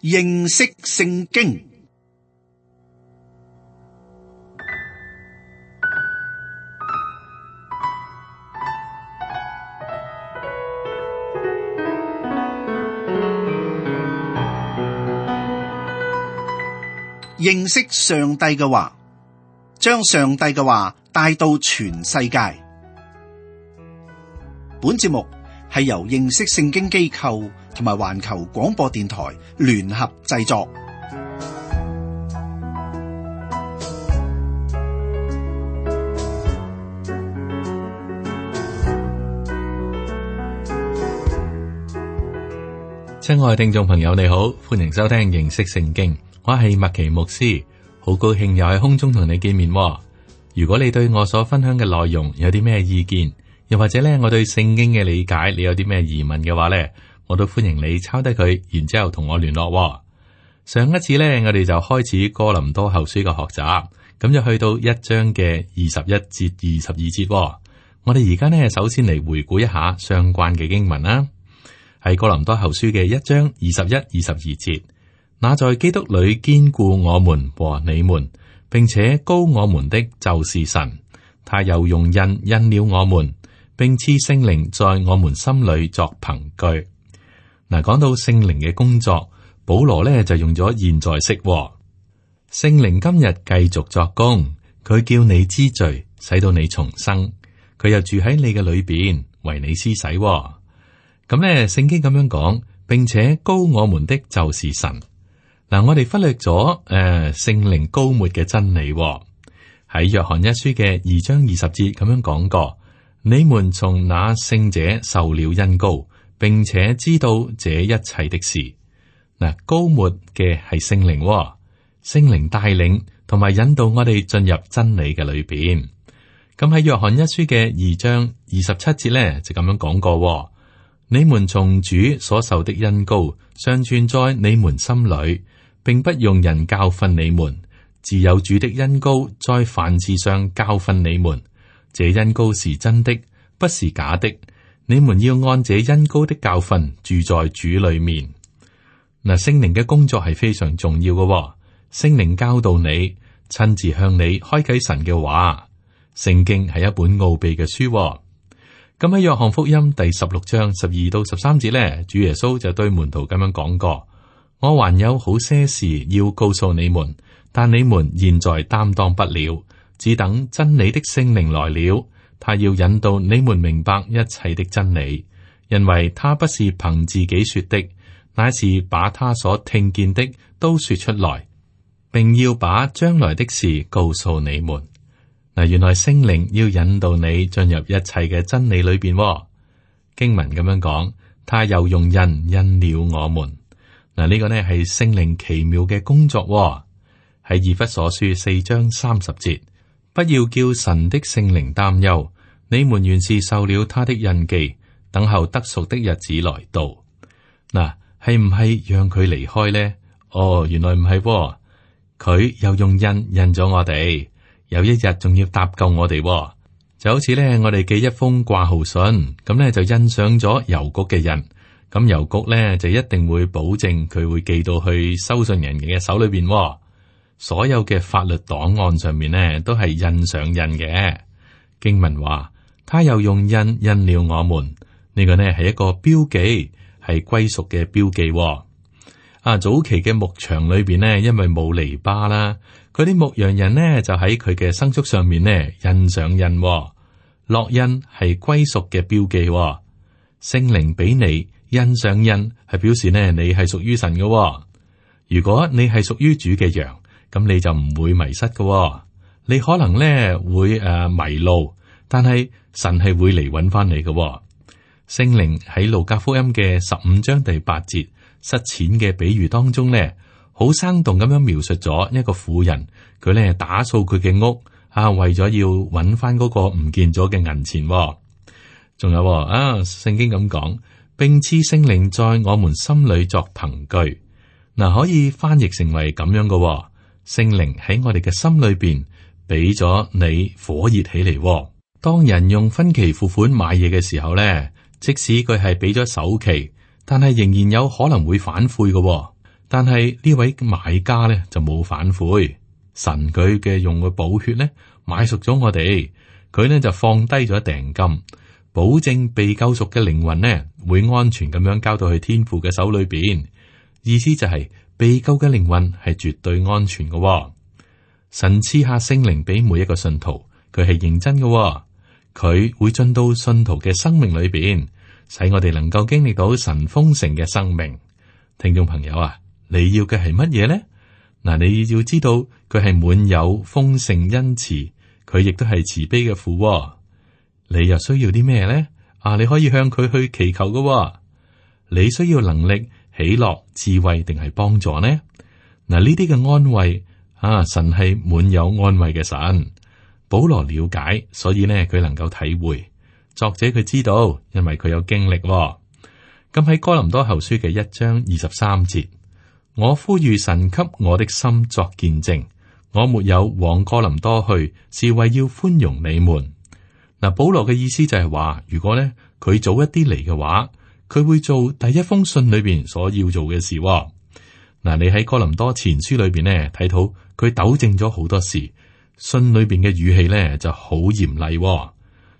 認識聖經。認識上帝嘅話，將上帝嘅話帶到全世界。本節目係由認識聖經機構同埋環球廣播電台聯合製作。親愛聽眾朋友，你好，歡迎收聽認識聖經。我係麥奇牧師，好高興又喺空中同你見面。如果你對我所分享嘅內容有啲咩意見，又或者咧我對聖經嘅理解，你有啲咩疑問嘅話咧，我都歡迎你抄低佢，然之後同我聯絡。上一次咧，我哋就開始哥林多後書嘅學習，咁就去到1章嘅21節、22節。我哋而家呢，首先嚟回顧一下相關嘅經文啦。喺哥林多後書嘅1章21、22節。那在基督裏堅固我們和你們，並且膏我們的就是神，他又用印了我們，並賜聖靈在我們心裏作憑據。嗱，講到聖靈嘅工作，保羅呢就用咗現在式。聖靈今日繼續作工，佢叫你知罪，使到你重生，佢又住喺你嘅裏邊，為你施洗。咁呢，聖經咁樣講，並且膏我們的就是神。嗱，我哋忽略咗聖靈膏抹嘅真理。喺約翰一書嘅2章20節咁樣講過，你們從那聖者受了恩膏，並且知道這一切的事。嗱，膏抹嘅係聖靈，聖靈帶領同埋引導我哋進入真理嘅裏邊。咁喺約翰一書嘅2章27節咧就咁樣講過，你們從主所受的恩膏尚存在你們心裏，並不用人教訓你們，自有主的恩膏在凡事上教訓你們。這恩膏是真的，不是假的。你們要按這恩膏的教訓住在主裏面。嗱，聖靈嘅工作係非常重要嘅。聖靈教導你，親自向你開啟神嘅話。聖經係一本奧秘嘅書。咁喺約翰福音第16章12到13節咧，主耶穌就對門徒咁樣講過。我還有好些事要告訴你們，但你們現在擔當不了，只等真理的聖靈來了，他要引導你們明白一切的真理，因為他不是憑自己說的，乃是把他所聽見的都說出來，並要把將來的事告訴你們。嗱，原來聖靈要引導你進入一切嘅真理裏邊。經文咁樣講，他又用印了我們。嗱，呢個呢係聖靈奇妙嘅工作。喺以弗所書4章30節，不要叫神的聖靈擔憂，你們原是受了他的印記，等候得贖的日子來到。嗱，係唔係讓佢離開呢？哦，原來唔係，佢又用印咗我哋，有一日仲要搭救我哋。就好似呢，我哋寄一封掛號信，咁呢就印上咗郵局嘅印。咁郵局咧就一定會保證佢會寄到去收信人嘅手裏邊。所有嘅法律檔案上面呢都係印上印嘅。經文話，他又用印了我們。呢個呢係一個標記，係歸屬嘅標記。早期嘅牧場裏邊呢，因為冇籬笆啦，嗰啲牧羊人呢就喺佢嘅牲畜上面呢印上印。烙印係歸屬嘅標記。聖靈俾你印上印，係表示呢你係屬於神嘅。如果你係屬於主嘅羊，咁你就唔會迷失嘅。你可能呢會迷路，但係神係會嚟揾翻你嘅。聖靈喺路加福音嘅15章第8節失錢嘅比喻當中呢，好生動咁樣描述咗一個婦人，佢呢打掃佢嘅屋為咗要揾翻嗰個唔見咗嘅銀錢。仲有聖經咁講。並賜聖靈在我們心裏作憑據。嗱，可以翻譯成為咁樣嘅，聖靈喺我哋嘅心裏邊俾咗你火熱起嚟。當人用分期付款買嘢嘅時候咧，即使佢係俾咗首期，但係仍然有可能會反悔嘅。但係呢位買家咧就冇反悔，神佢嘅用嘅寶血咧買贖咗我哋，佢咧就放低咗訂金，保證被救贖嘅靈魂呢會安全咁樣交到去天父嘅手裏邊。意思就係被救嘅靈魂係絕對安全嘅。神賜下聖靈俾每一個信徒，佢係認真嘅，佢會進到信徒嘅生命裏邊，使我哋能夠經歷到神豐盛嘅生命。聽眾朋友啊，你要嘅係乜嘢呢？嗱，你要知道佢係滿有豐盛恩慈，佢亦都係慈悲嘅父。你又需要啲咩呢？你可以向佢去祈求嘅。你需要能力、喜樂、智慧定係幫助呢？嗱，呢啲嘅安慰神係滿有安慰嘅神。保羅了解，所以呢佢能夠體會。作者佢知道，因為佢有經歷。咁喺哥林多後書嘅1章23節，我呼籲神給我的心作見證，我沒有往哥林多去，是為要寬容你們。嗱，保羅嘅意思就係話，如果呢佢早一啲嚟嘅話，佢會做第一封信裏邊所要做嘅事。嗱，你喺哥林多前書裏邊呢睇到佢糾正咗好多事，信裏邊嘅語氣呢就好嚴厲。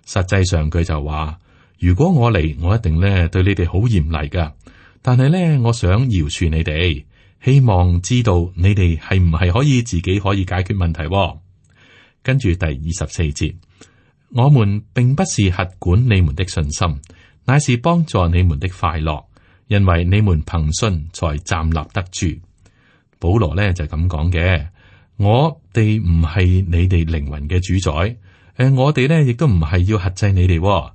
實際上佢就話，如果我嚟，我一定呢對你哋好嚴厲噶。但係呢，我想饒恕你哋，希望知道你哋係唔係可以自己可以解決問題。跟住第24節，我們並不是轄管你們的信心，乃是幫助你們的快樂，因為你們憑信才站立得住。保羅呢就咁講嘅，我哋唔係你哋靈魂嘅主宰，我哋呢亦都唔係要轄制你哋。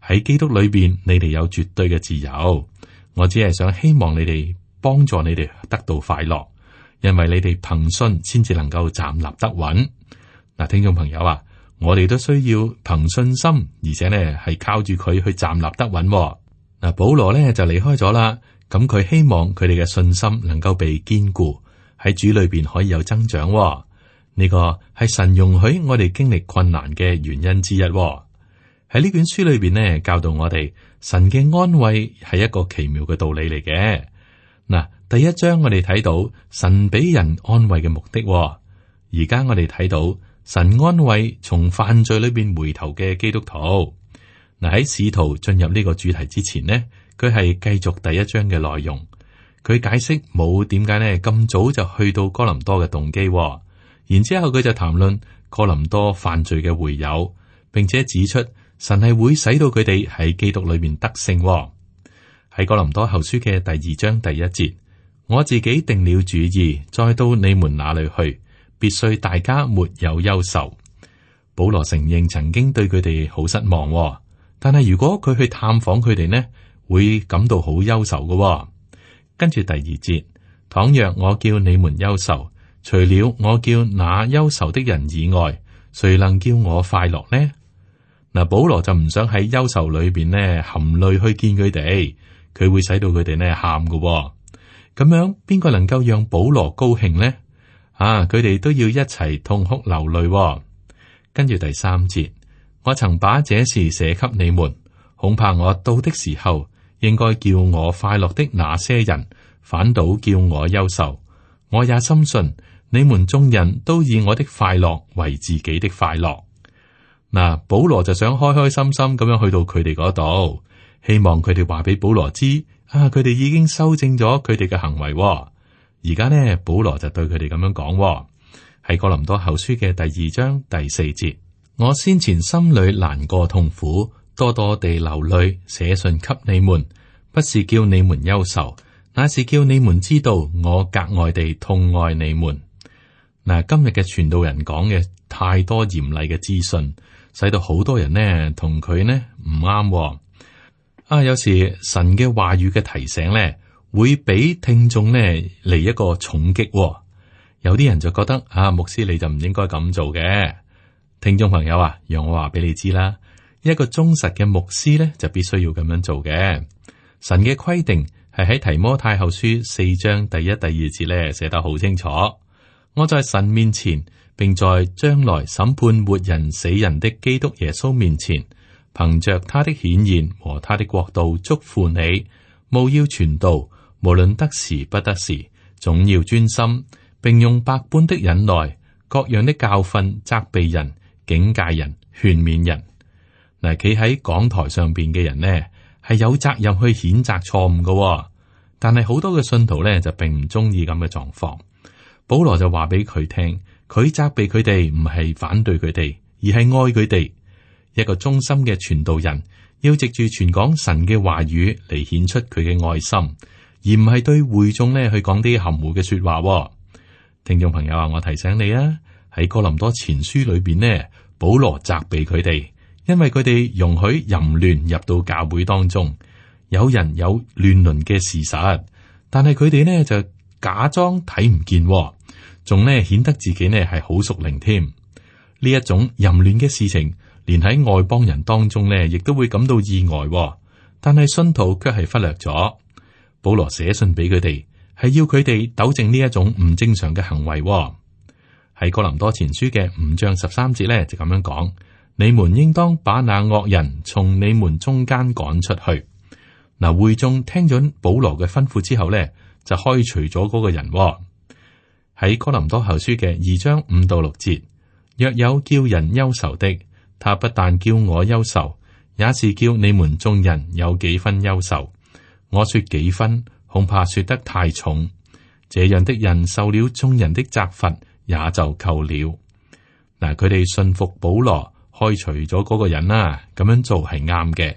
喺基督裏邊，你哋有絕對嘅自由。我只係想希望你哋幫助你哋得到快樂，因為你哋憑信先至能夠站立得穩。嗱，聽眾朋友啊，我哋都需要憑信心，而且呢係靠住佢去站立得穩。嗱，保羅呢就離開咗啦。咁佢希望佢哋嘅信心能夠被堅固，喺主裏邊可以有增長。呢個係神容許我哋經歷困難嘅原因之一。喺呢卷書裏邊呢，教導我哋神嘅安慰係一個奇妙嘅道理嚟嘅。嗱，第一章我哋睇到神俾人安慰嘅目的。而家我哋睇到神安慰從犯罪裏邊回頭嘅基督徒。嗱，喺使徒進入呢個主題之前呢，佢係繼續第一章嘅內容。佢解釋冇點解呢咁早就去到哥林多嘅動機。然之後佢就談論哥林多犯罪嘅會友，並且指出神係會使到佢哋喺基督裏面得勝。喺哥林多後書嘅第2章第1節，我自己定了主意，再到你們那裏去，必須大家沒有憂愁。保羅承認曾經對佢哋好失望，但係如果佢去探訪佢哋呢，會感到好憂愁嘅。跟住第2節，倘若我叫你們憂愁，除了我叫那憂愁的人以外，誰能叫我快樂呢？嗱，保羅就唔想喺憂愁裏邊呢含淚去見佢哋，佢會使到佢哋呢喊嘅。咁樣邊個能夠讓保羅高興呢？佢哋都要一齊痛哭流淚。跟住第3節，我曾把這事寫給你們，恐怕我到的時候，應該叫我快樂的那些人，反倒叫我憂愁。我也深信你們眾人都以我的快樂為自己的快樂。嗱，保羅就想開開心心咁樣去到佢哋嗰度，希望佢哋話俾保羅知，佢哋已經修正咗佢哋嘅行為。而家呢，保羅就對佢哋咁樣講，喺哥林多後書嘅第2章第4節，我先前心裏難過痛苦，多多地流淚，寫信給你們，不是叫你們憂愁，乃是叫你們知道我格外地痛愛你們。嗱，今日嘅傳道人講嘅太多嚴厲嘅資訊，使到好多人呢同佢呢唔啱。有時神嘅話語嘅提醒呢，會俾聽眾呢嚟一個重擊。有啲人就覺得牧師你就唔應該咁做嘅。聽眾朋友啊，讓我話俾你知啦，一個忠實嘅牧師呢，就必須要咁樣做嘅。神嘅規定係喺提摩太後書4章第1、第2節呢寫得好清楚。我在神面前，並在將來審判活人死人的基督耶穌面前，憑着他的顯現和他的國度，囑咐你，務要傳道，無論得時不得時，總要專心，並用百般的忍耐、各樣的教訓責備人、警戒人、勸勉人。嗱，企喺講台上邊嘅人呢，係有責任去譴責錯誤嘅，但係好多嘅信徒呢，就並唔中意咁嘅狀況。保羅就話俾佢聽，佢責備佢哋唔係反對佢哋，而係愛佢哋。一個忠心嘅傳道人要藉住傳講神嘅話語嚟顯出佢嘅愛心，而唔係對會眾呢去講啲含糊嘅說話。聽眾朋友啊，我提醒你啊，喺哥林多前書裏邊呢，保羅責備佢哋，因為佢哋容許淫亂入到教會當中，有人有亂倫嘅事實，但係佢哋呢就假裝睇唔見，仲呢顯得自己呢係好屬靈添。呢一種淫亂嘅事情，連喺外邦人當中呢，亦都會感到意外，但係信徒卻係忽略咗。保羅寫信俾佢哋，係要佢哋糾正呢一種唔正常嘅行為。喺哥林多前書嘅5章13節呢，就咁樣講：你們應當把那惡人從你們中間趕出去。嗱，會眾聽咗保羅嘅吩咐之後呢，就開除咗嗰個人。喺哥林多後書嘅2章5到6節，若有叫人憂愁的，他不但叫我憂愁，也是叫你們眾人有幾分憂愁。我說幾分，恐怕說得太重。這樣的人受了眾人的責罰，也就夠了。嗱，佢哋信服保羅，開除咗嗰個人啦，咁樣做係啱嘅。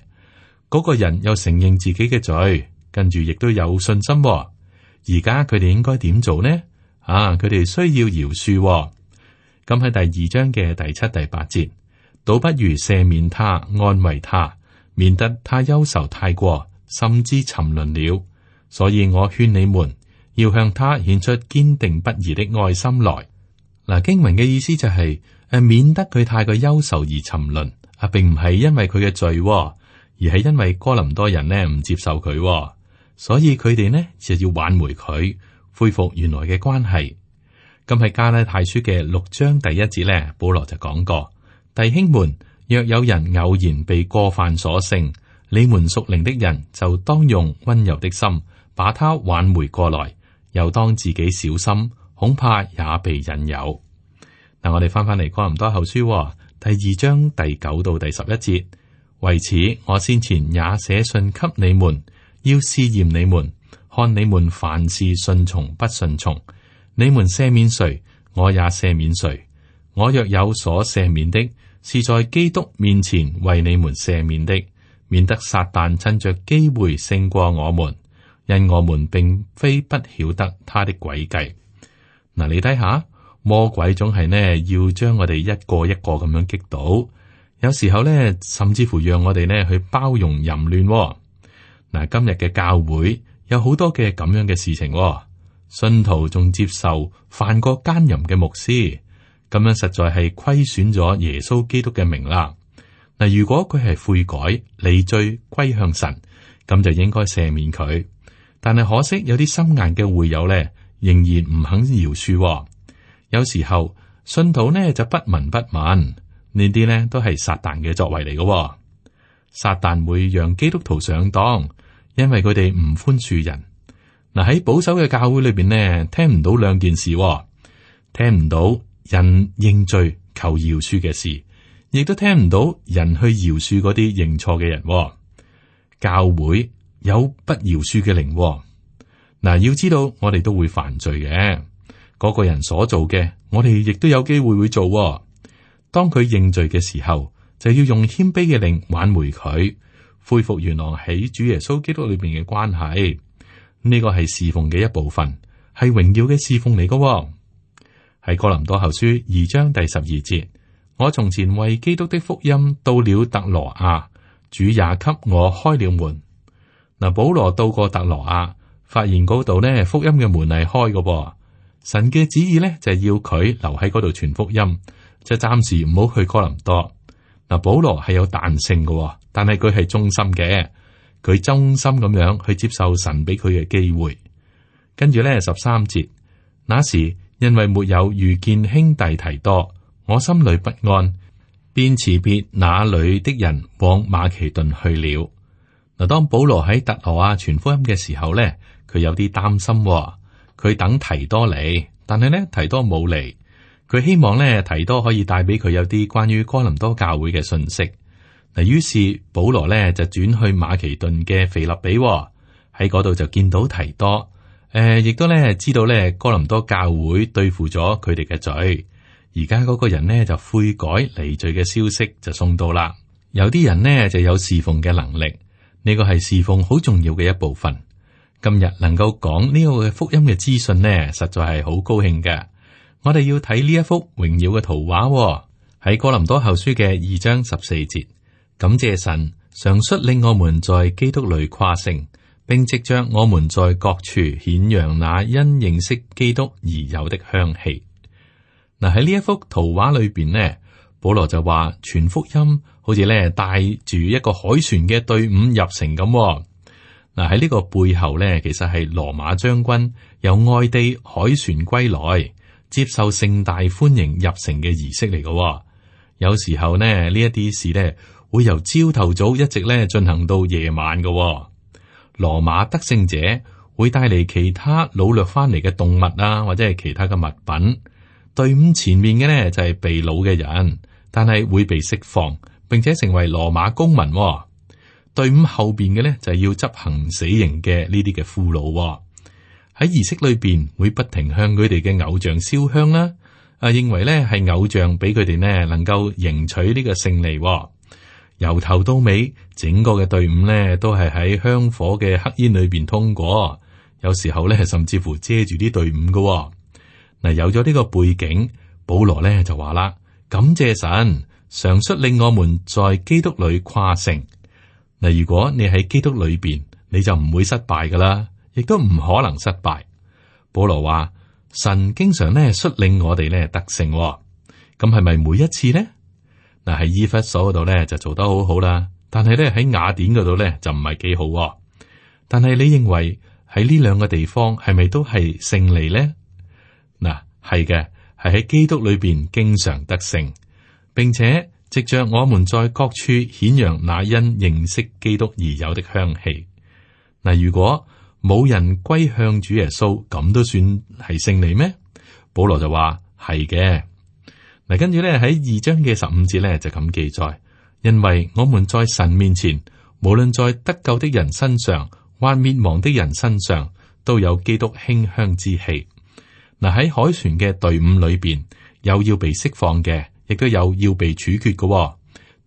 嗰個人又承認自己嘅罪，跟住亦都有信心。而家佢哋應該點做呢？佢哋需要饒恕。咁喺第2章嘅第7、第8節，倒不如赦免他，安慰他，免得他憂愁太過，甚至沉淪了。所以我勸你們要向他顯出堅定不移的愛心來。嗱，經文嘅意思就係免得佢太過憂愁而沉淪。並唔係因為佢嘅罪，而係因為哥林多人呢唔接受佢，所以佢哋呢就要挽回佢，恢復原來嘅關係。咁喺加拉太書嘅6章第1節呢，保羅就講過：弟兄們，若有人偶然被過犯所勝，你們屬靈的人就當用溫柔的心把他挽回過來，又當自己小心，恐怕也被引誘。嗱，我哋翻嚟哥林多後書第2章第9到第11節。為此，我先前也寫信給你們，要試驗你們，看你們凡事順從不順從。你們赦免誰，我也赦免誰。我若有所赦免的，是在基督面前為你們赦免的，免得撒旦趁着機會勝過我們，因我們並非不曉得他的詭計。嗱，你睇下，魔鬼總係呢要將我哋一個一個咁樣擊倒，有時候呢，甚至乎讓我哋呢去包容淫亂。嗱，今日嘅教會有好多嘅咁樣嘅事情。信徒仲接受犯過奸淫嘅牧師，咁樣實在係虧損咗耶穌基督嘅名啦。嗱，如果佢係悔改、離罪、歸向神，咁就應該赦免佢。但係可惜有啲心硬嘅會友咧，仍然唔肯饒恕。有時候信徒呢就不聞不問，呢啲呢都係撒旦嘅作為嚟嘅。撒旦會讓基督徒上當，因為佢哋唔寬恕人。嗱，喺保守嘅教會裏邊呢，聽唔到兩件事，聽唔到人認罪求饒恕嘅事，亦都聽唔到人去饒恕嗰啲認錯嘅人。教會有不饒恕嘅靈。嗱，要知道我哋都會犯罪嘅，嗰個人所做嘅，我哋亦都有機會會做。當佢認罪嘅時候，就要用謙卑嘅靈挽回佢，恢復原來喺主耶穌基督裏邊嘅關係。呢個係侍奉嘅一部分，係榮耀嘅侍奉嚟嘅。喺哥林多後書2章第12節，我從前為基督的福音到了特羅亞，主也給我開了門。嗱，保羅到過特羅亞，發現嗰度呢福音嘅門係開嘅。神嘅旨意呢就係要佢留喺嗰度傳福音，就暫時唔好去哥林多。嗱，保羅係有彈性嘅，但係佢係忠心嘅。佢忠心咁樣去接受神俾佢嘅機會，跟住咧13節，那時因為沒有遇見兄弟提多，我心裏不安，便辭別那裏的人往馬其頓去了。嗱，當保羅喺特羅亞傳福音嘅時候咧，佢有啲擔心，佢等提多嚟，但係呢，提多冇嚟。佢希望呢，提多可以帶俾佢有啲關於哥林多教會嘅信息。嗱，於是保羅呢就轉去馬其頓嘅腓立比，喺嗰度就見到提多。亦都呢知道呢哥林多教會對付咗佢哋嘅罪，而家嗰個人呢就悔改離罪嘅消息就送到啦。有啲人呢就有侍奉嘅能力，呢個係侍奉好重要嘅一部分。今日能夠講呢個嘅福音嘅資訊呢，實在係好高興嘅。我哋要睇呢一幅榮耀嘅圖畫，喺哥林多後書嘅2章14節，感謝神常率領我們在基督裏誇勝，並藉着我們在各處顯揚那因認識基督而有的香氣。嗱，喺呢一幅圖畫裏邊呢，保羅就話傳福音好似咧帶住一個海船嘅隊伍入城咁。嗱，喺呢個背後呢，其實係羅馬將軍由外地海船歸來，接受盛大歡迎入城嘅儀式嚟嘅。有時候呢，呢一啲事呢會由朝頭早一直咧進行到夜晚嘅。羅馬得勝者會帶嚟其他擄掠翻嚟嘅動物啊，或者係其他嘅物品。隊伍前面嘅呢就係被擄嘅人，但係會被釋放，並且成為羅馬公民。隊伍後邊嘅呢就係要執行死刑嘅呢啲嘅俘虜。喺儀式裏邊會不停向佢哋嘅偶像燒香啦，認為呢係偶像俾佢哋呢能夠贏取呢個勝利。由頭到尾，整個嘅隊伍呢都係喺香火嘅黑煙裏邊通過，有時候呢甚至乎遮住啲隊伍嘅。嗱，有咗呢個背景，保羅呢就話啦：感謝神，常率領我們在基督裏誇勝。嗱，如果你喺基督裏邊，你就唔會失敗噶啦，亦都唔可能失敗。保羅話：神經常呢率領我哋呢得勝，咁係咪每一次呢？嗱，喺以弗所嗰度呢就做得好好啦，但係呢喺雅典嗰度呢就唔係幾好。但係你認為喺呢兩個地方係咪都係勝利呢？嗱，係嘅，係喺基督裏邊經常得勝，並且藉着我們在各處顯揚那因認識基督而有的香氣。嗱，如果冇人歸向主耶穌，咁都算係勝利咩？保羅就話係嘅。嗱，跟住咧喺2章嘅15節咧就咁記載，因為我們在神面前，無論在得救的人身上或滅亡的人身上，都有基督馨香之氣。嗱，喺海船嘅隊伍裏邊，有要被釋放嘅，亦都有要被處決嘅，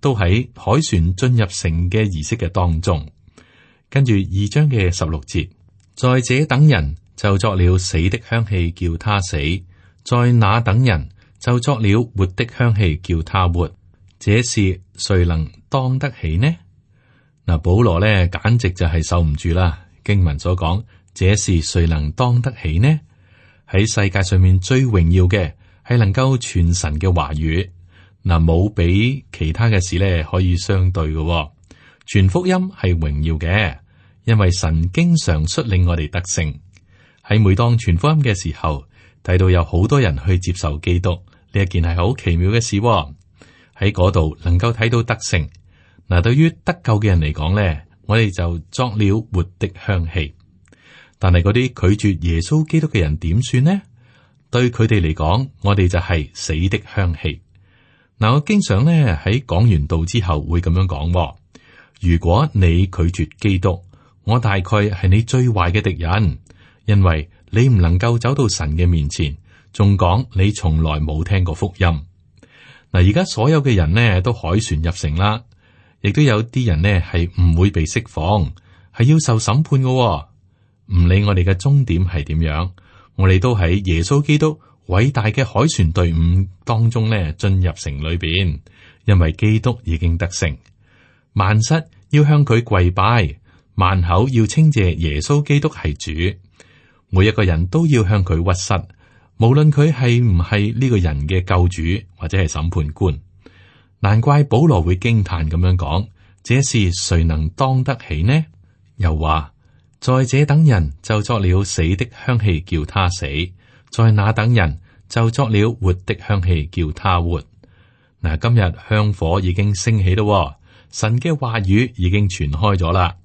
都喺海船進入城嘅儀式嘅當中。跟住2章嘅16節，在這等人就作了死的香氣，叫他死；在那等人就作了活的香氣，叫他活。這事誰能當得起呢？嗱，保羅呢簡直就係受唔住啦。經文所講，這事誰能當得起呢？喺世界上面最榮耀嘅係能夠傳神嘅話語。嗱，冇比其他嘅事呢可以相對嘅。傳福音係榮耀嘅，因為神經常率領我哋得勝。喺每當傳福音嘅時候，睇到有好多人去接受基督，呢一件係好奇妙嘅事。喺嗰度能夠睇到得勝。嗱，對於得救嘅人嚟講呢，我哋就作了活的香氣。但係嗰啲拒絕耶穌基督嘅人點算呢？對佢哋嚟講，我哋就係死的香氣。嗱，我經常呢喺講完道之後會咁樣講。如果你拒絕基督，我大概係你最壞嘅敵人，因為你唔能夠走到神嘅面前，仲講你從來冇聽過福音。嗱，而家所有嘅人呢都凱旋入城啦，亦都有啲人呢係唔會被釋放，係要受審判嘅。唔理我哋嘅終點係點樣，我哋都喺耶穌基督偉大嘅凱旋隊伍當中呢進入城裏邊，因為基督已經得勝。萬膝要向佢跪拜，萬口要稱謝耶穌基督係主。每一個人都要向佢屈膝，無論佢係唔係呢個人嘅救主或者係審判官。難怪保羅會驚嘆咁樣講：這事誰能當得起呢？又話在這等人就作了死的香氣，叫他死；在那等人就作了活的香氣，叫他活。嗱，今日香火已經升起咯。神嘅話語已經傳開咗啦，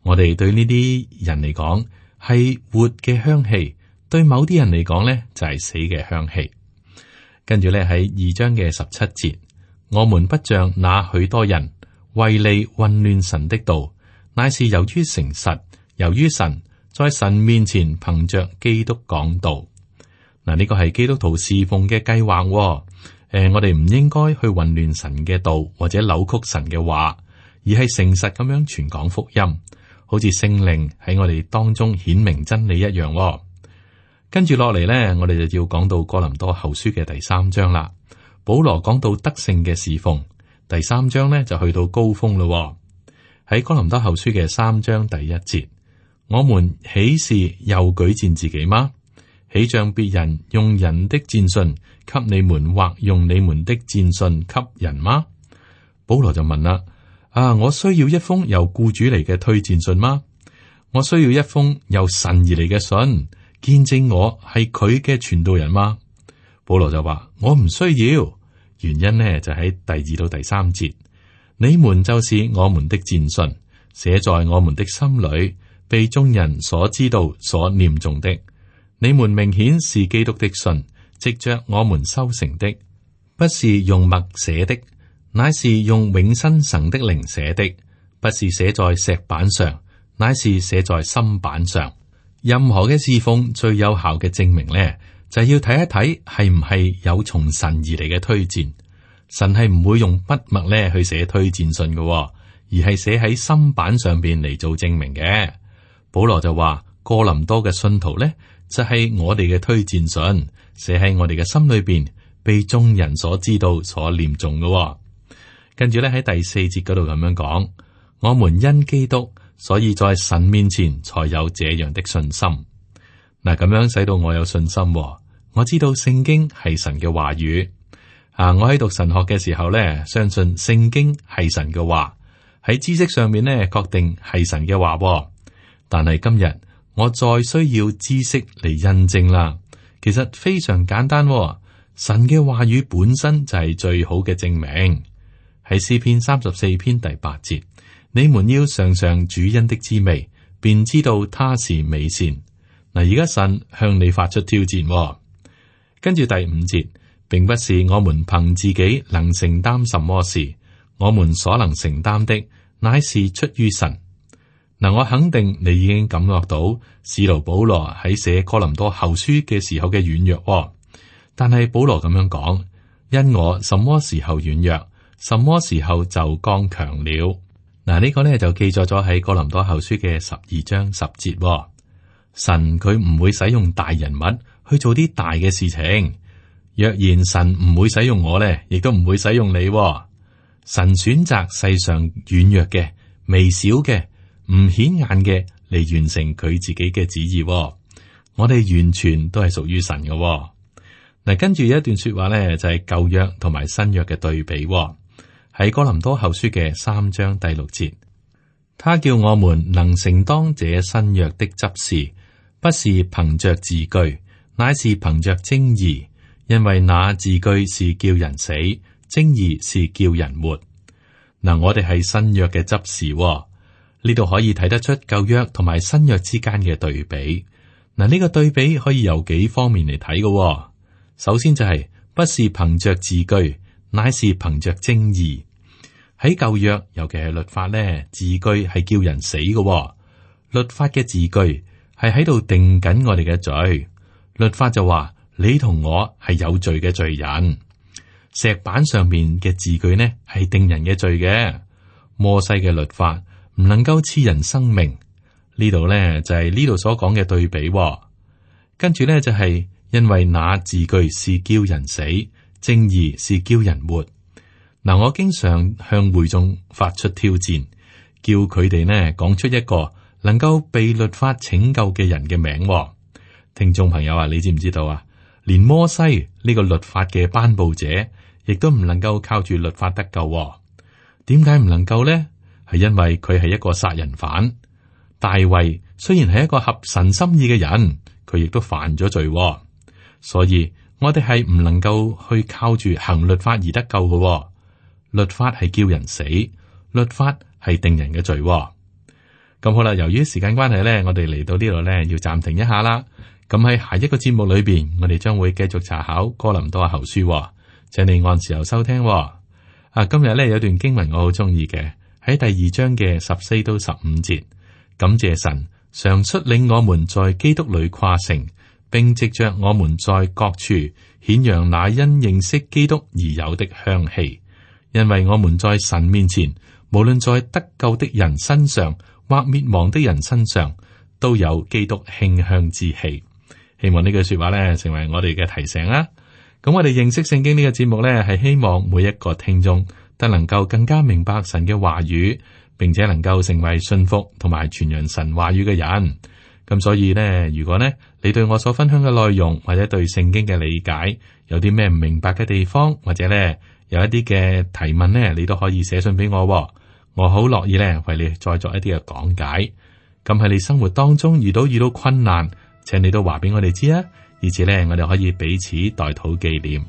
我哋對呢啲人嚟講係活嘅香氣，對某啲人嚟講呢，就係死嘅香氣。跟住呢，喺2章嘅17節，我們不像那許多人為利混亂神的道，乃是由於誠實，由於神在神面前憑着基督講道。嗱，呢個係基督徒侍奉嘅計劃。我哋唔應該去混亂神嘅道，或者扭曲神嘅話，而係誠實咁樣傳講福音，好似聖靈喺我哋當中顯明真理一樣。跟住落嚟呢，我哋就要講到哥林多後書嘅第3章啦。保羅講到得勝嘅侍奉，第3章呢就去到高峰咯。喺哥林多後書嘅3章第1節，我們豈是又舉薦自己嗎？豈像別人用人的薦信給你們，或用你們的薦信給人嗎？保羅就問啦：我需要一封由雇主嚟嘅推薦信嗎？我需要一封由神而嚟嘅信，見證我係佢嘅傳道人嗎？保羅就話：我唔需要。原因呢就喺第2到第3節，你們就是我們的薦信，寫在我們的心裏，被眾人所知道、所念誦的。你們明顯是基督的信，藉着我們修成的，不是用墨寫的，乃是用永生神的靈寫的；不是寫在石板上，乃是寫在心板上。任何嘅侍奉最有效嘅證明呢，就係要睇一睇係唔係有從神而嚟嘅推薦。神係唔會用筆墨咧去寫推薦信嘅，而係寫喺心板上邊嚟做證明嘅。保羅就話：哥林多嘅信徒呢，就係我哋嘅推薦信，寫喺我哋嘅心裏邊，被眾人所知道、所念誦嘅。跟住咧喺第4節嗰度咁樣講：我們因基督，所以在神面前才有這樣的信心。嗱，咁樣使到我有信心。我知道聖經係神嘅話語。我喺讀神學嘅時候咧，相信聖經係神嘅話，喺知識上面咧確定係神嘅話。但係今日我再需要知識嚟印證啦。其實非常簡單，神嘅話語本身就係最好嘅證明。喺詩篇34篇第8節，你們要嘗嘗主恩的滋味，便知道他是美善。嗱，而家神向你發出挑戰。跟住第5節，並不是我們憑自己能承擔什麼事，我們所能承擔的，乃是出於神。嗱，我肯定你已經感覺到使徒保羅喺寫哥林多後書嘅時候嘅軟弱。但係保羅咁樣講：因我什麼時候軟弱，什麼時候就剛強了。嗱，呢個呢就記載咗喺哥林多後書嘅12章10節。神佢唔會使用大人物去做啲大嘅事情。若然神唔會使用我呢，亦都唔會使用你。神選擇世上軟弱嘅、微小嘅、唔顯眼嘅嚟完成佢自己嘅旨意。我哋完全都係屬於神嘅。嗱，跟住有一段說話呢，就係舊約同埋新約嘅對比。喺哥林多後書嘅3章第6節，他叫我們能承當這新約的執事，不是憑着字句，乃是憑着精義。因為那字句是叫人死，精義是叫人活。嗱，我哋係新約嘅執事，呢度可以睇得出舊約同埋新約之間嘅對比。嗱，呢個對比可以由幾方面嚟睇嘅。首先就係不是憑着字句，乃是憑着精義。喺舊約，尤其係律法咧，字句係叫人死嘅。律法嘅字句係喺度定緊我哋嘅罪。律法就話，你同我係有罪嘅罪人。石板上面嘅字句呢，係定人嘅罪嘅。摩西嘅律法唔能夠賜人生命。呢度呢，就係呢度所講嘅對比。跟住呢，就係因為那字句是叫人死，正義是叫人活。嗱，我經常向會眾發出挑戰，叫佢哋呢講出一個能夠被律法拯救嘅人嘅名。聽眾朋友啊，你知唔知道啊？連摩西呢個律法嘅頒布者，亦都唔能夠靠住律法得救。點解唔能夠呢？係因為佢係一個殺人犯。大衛雖然係一個合神心意嘅人，佢亦都犯咗罪。所以我哋係唔能夠去靠住行律法而得救嘅。律法係叫人死，律法係定人嘅罪。咁好啦，由於時間關係呢，我哋嚟到呢度呢，要暫停一下啦。咁喺下一個節目裏邊，我哋將會繼續查考哥林多後書，請你按時候收聽。今日咧有段經文我好中意嘅，喺第2章嘅14到15節，感謝神常率領我們在基督裏誇勝，並藉着我們在各處顯揚那因認識基督而有的香氣，因為我們在神面前，無論在得救的人身上或滅亡的人身上，都有基督馨香之氣。希望呢句說話咧成為我哋嘅提醒啦。咁我哋認識聖經呢個節目咧，係希望每一個聽眾都能夠更加明白神嘅話語，並且能夠成為信服同埋傳揚神話語嘅人。咁所以呢，如果呢你對我所分享嘅內容或者對聖經嘅理解有啲咩唔明白嘅地方，或者呢有一啲嘅提問呢，你都可以寫信俾我，我好樂意呢為你再作一啲嘅講解。咁喺你生活當中遇到困難，請你都話俾我哋知啊，而且呢我哋可以彼此代禱紀念。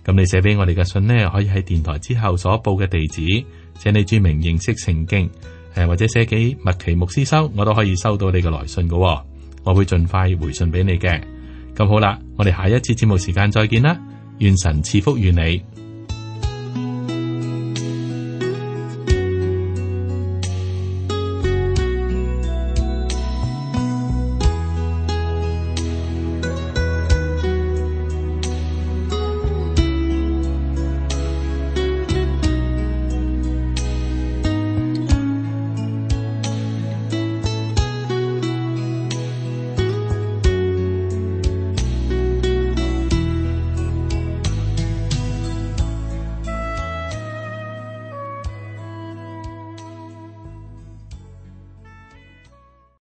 咁你寫俾我哋嘅信呢，可以喺電台之後所報嘅地址，請你注明認識聖經，或者寫俾麥奇牧師收，我都可以收到你嘅來信嘅，我會盡快回信俾你嘅。咁好啦，我哋下一次節目時間再見啦，願神賜福於你。